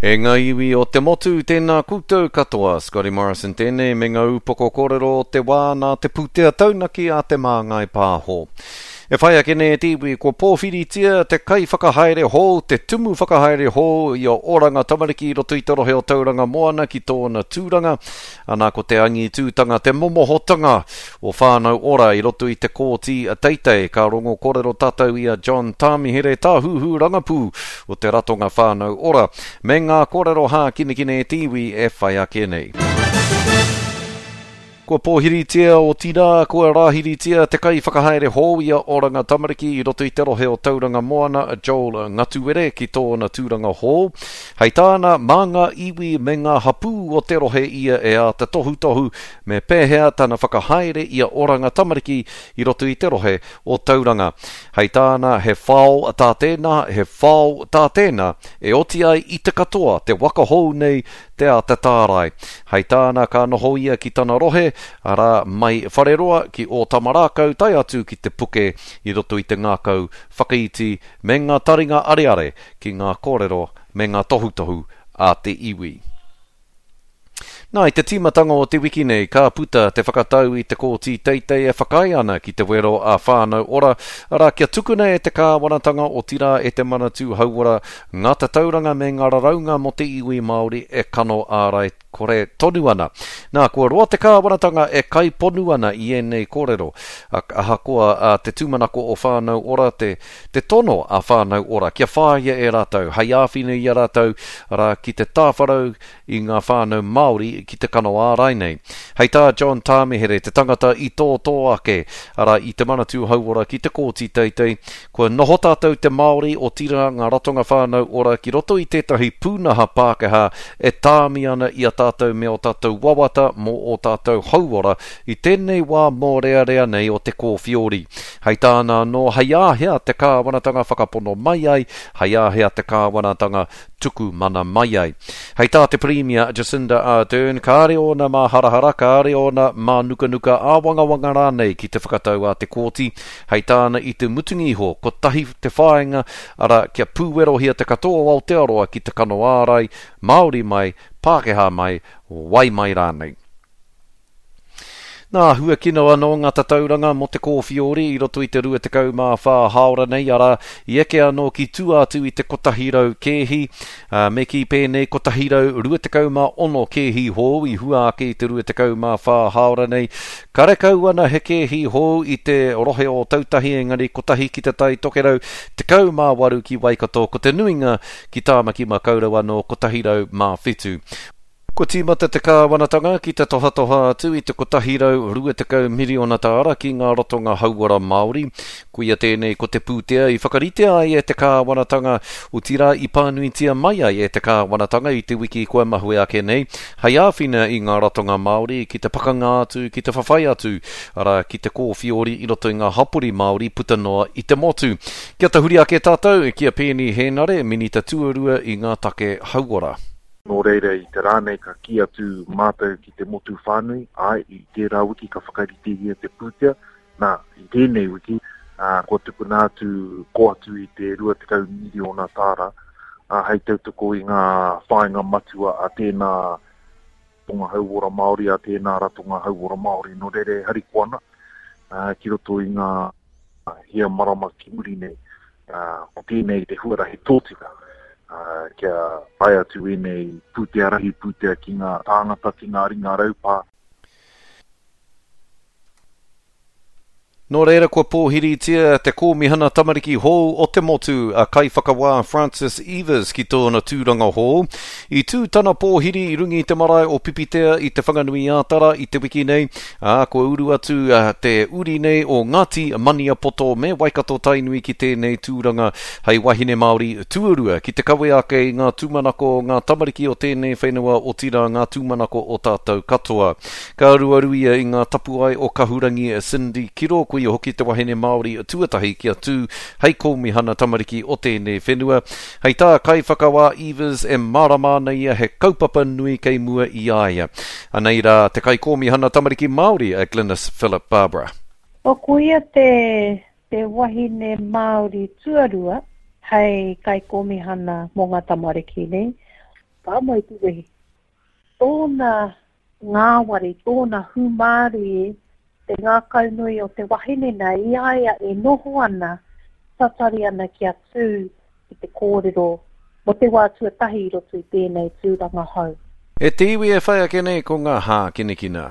E ngā iwi o te motu, tēnā koutou katoa. Scotty Morrison tēnei me ngā upoko kōrero o te wā nā te pūtea taunaki a Te Māngai Pāho. E whai ake nei e te iwi, kua pōwhiritia te kaiwhakahaere hou, te tumu whakahaere hou i a Oranga Tamariki i roto i te rohe o Tauranga Moana ki tōna tūranga, ana ko te angitūtanga, te momohotanga o Whānau Ora i roto i te Kōti Teitei. Ka rongo kōrero tātou i a John Tāmihere, Tāhuhu Rangapū o te Ratonga Whānau Ora, me ngā kōrero hākinakina e te iwi e whai ake nei. Kua pōhiritia, otirā, kua rāhiritia te kaiwhakahaere hou i a Oranga Tamariki i roto i te rohe o Tauranga Moana, Joel Ngatuere, ki tōna tūranga hou. Hei tāna, mā ngā iwi me ngā hapū o te rohe ia e āta tohutohu Me pēhea tana whakahaere i a Oranga Tamariki i roto i te rohe o Tauranga. Hei tāna, he whao tā tēnā, he whao tā tēnā, e oti ai i te katoa te waka hou nei te āta tārai. Hei tāna, ka noho ia ki tana rohe, arā, mai Whareroa ki Ōtamarākau tae atu ki Te Puke i roto i te ngākau whakaiti me ngā taringa areare ki ngā kōrero me ngā tohutohu a te iwi. Nā, i te tīmatanga o te wiki nei, ka puta te whakatau i te Kōti Teitei e whakaae ana ki te wero a Whānau Ora, arā, kia tukuna e te kāwanatanga, otirā e te Manatū Hauora, ngā tatauranga me ngā raraunga mō te iwi Māori e kano ārai kore tonu ana. Nā, kua roa te kāwanatanga e kaiponu ana i ēnei kōrero, ahakoa te tūmanako o Whānau Ora, te, te tono a Whānau Ora kia whāia e rātou, hei āwhina i a rātou, arā, ki te tāwharau i ngā whānau Māori ki te kano ārai nei. Hei tā John Tāmihere, te tangata i tōtō ake, arā, i Te Manatū Hauora ki te Kōti Teitei, kua noho tātou te Māori, otirā ngā ratonga whānau ora ki roto i tētahi pūnaha Pākehā e tāmi ana i a tātou me ō tātou wawata mō ō tātou hauora i tēnei wā mōrearea nei o te kōwhiori. Hei tāna anō, hei āhea te kāwanatanga whakapono mai ai, hei āhea te kāwanatanga tuku mana mai ai. Hei tā te Pirimia Jacinda Ardern, kāre ōna māharahara, kāre ōna mānukanuka āwangawanga rānei ki te whakatau a te kōti. Hei tāna i te mutunga iho, kotahi te whāinga, arā, kia pūwerohia te katoa o Aotearoa ki te kano ārai, Māori mai, Pākehā mai, wai mai rānei. Nā, huakino anō ngā tatauranga mō te kōwhiori i roto i te 24 hāora nei, arā, i eke anō ki tua atu i te 100 kēhi, ā, me kī pēnei, 126 kēhi hou i hua ake i te 24 hāora nei. Karekau ana he kēhi hou i te rohe o Ōtautahi, engari kotahi ki Te Tai Tokerau, 18 ki Waikato, ko te nuinga ki Tāmaki Makaurau anō, 107. Kua tīmata te kāwanatanga ki te tohatoha atu i te 120 miriona tāra ki ngā ratonga hauora Māori. Koia tēnei ko te pūtea i whakaritea ai e te kāwanatanga, otirā i pānuitia mai ai e te kāwanatanga i te wiki kua mahue ake nei, hei āwhina i ngā ratonga Māori ki te pakanga atu, ki te whawhai atu, arā, ki te kōwhiori i roto i ngā hapori Māori puta noa i te motu. Kia tahuri ake tātou ki a Peeni Hēnare, Minita Tuarua i ngā take hauora. Nō reira, i te rā nei ka kī atu mātou ki te motu whānui, āe, i tērā wiki ka whakaritehia te pūtea, nā, i tēnei wiki, ā, kua tukuna atu, kō atu i te 20 miriona tāra, ā, hei tautoko i ngā whāinga matua a tēnā ratonga hauora Māori, a tēnā ratonga hauora Māori. Nō reira e harikoa ana, ā, ki roto i ngā hia marama ki muri nei, ko tēnei te huarahi tōtika kia tae atu ēnei pūtea rahi pūtea ki ngā tāngata, ki ngā ringa raupā. Nō reira kua pōhiritia te Kōmihana Tamariki hou o te motu, a Kaiwhakawā Francis Eivers ki tōna tūranga hou. I tū tana pōhiri i runga i te marae o Pipitea i Te Whanganui-ā-Tara i te wiki nei, Ā, kua uru atu te uri nei o Ngāti Maniapoto me Waikato Tainui ki tēnei tūranga hei wahine Māori tuarua ki te kawe ake i ngā tūmanako o ngā tamariki o tēnei whenua otirā ngā tūmanako o tātou katoa. Ka aruaru ia i ngā tapuae o Kahurangi Cindy Kiro, ko ia hoki te wahine Māori tuatahi kia tū hei kōmihana tamariki o tēnei whenua. Hei tā Kaiwhakawā Evers e mārama ana ia he kaupapa nui kei mua i a ia. Anei rā te Kaikōmihana Tamariki Māori a Glynis Philip Barbara. O ko ia te te wahine Māori tuarua hei Kaikōmihana mō ngā tamariki nei. Pā mai te wehi. Tōna ngāwari, tōna hūmārie, te ngākaunui o te wahine nei i a ia e noho ana, tatari ana kia tū ki te kōrero mō te wā tuatahi i roto i tēnei tūranga hou. E te iwi e whai ake nei ko ngā hākinakina.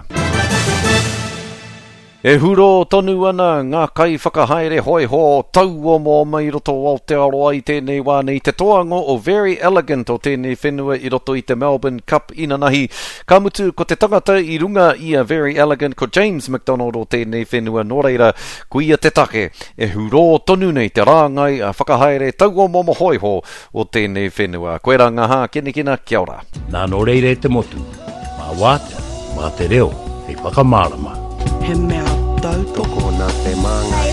E hurō tonu ana ngā kaiwhakahaere hōiho tauomaoma i roto o Aotearoa i tēnei wā nei te toango o Verry Elleegant o tēnei whenua i roto i te Melbourne Cup inanahi. Ka mutu ko te tangata i runga i a Verry Elleegant ko James McDonald o tēnei whenua nō reira koia te take e hurō tonu nei te rāngai whakahaere tauomaoma hōiho o tēnei whenua. Koirā ngā hākinakina, kia ora. Nā nō reira e te motu, mā wātea, mā te reo hei whakamārama. He mea tautoko. Tokona te māngai.